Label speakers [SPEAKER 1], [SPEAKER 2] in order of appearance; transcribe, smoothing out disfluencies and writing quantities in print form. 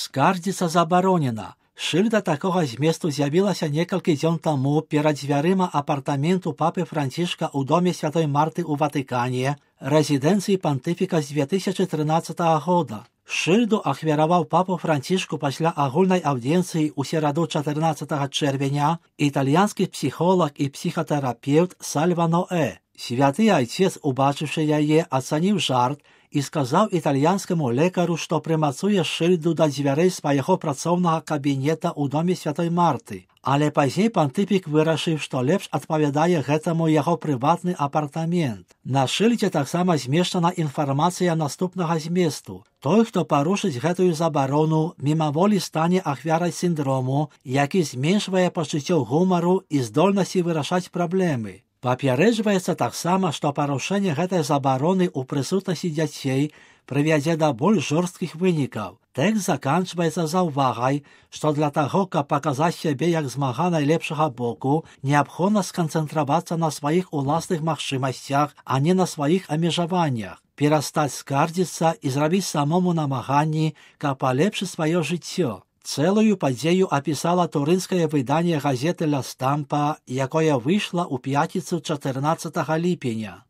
[SPEAKER 1] Скардзіцца забаронена. Шыльда такога зместу з'явілася некалькі дзён таму перад дзвярыма апартаменту папы Францішка ў доме Святой Марты ў Ватыкане, рэзідэнцыі пантыфіка з 2013 года. Шыльду ахвяраваў папу Францішку пасля агульнай аўдзенцыі ў сераду 14 чэрвеня італьянскі псіхолог і псіхатэрапеўт Сальва Ноэ. Святы айцец, убачыўшы яе, ацаніў жарт і сказаў італьянскаму лекару, што прымацуе шыльду да дзвярэй свайго працоўнага кабінета ў доме Святой Марты. Але пазней пантыфік вырашыў, што лепш адпавядае гэтаму яго прыватны апартамент. На шыльдзе таксама змешчана інфармацыя наступнага зместу. Той, хто парушыць гэтую забарону, мімаволі стане ахвярай сіндрому, які зменшвае пачуццё гумару і здольнасці вырашаць праблемы. Папярэджваецца таксама, што парушэнне гэтай забароны ў прысутнасці дзяцей прывядзе да больш жорсткіх вынікаў. Тэкст заканчваецца заўвагай, што для таго, каб паказаць сябе як змага найлепшага боку, неабходна сканцэнтравацца на сваіх уласных магчымасцях, а не на сваіх абмежаваннях, перастаць скардзіцца і зрабіць самому намаганні, каб палепшыць сваё жыццё. Цэлую падзею апісала турынскае выданне газеты «Ла Стампа», якое выйшла ў пятніцу 14 ліпеня.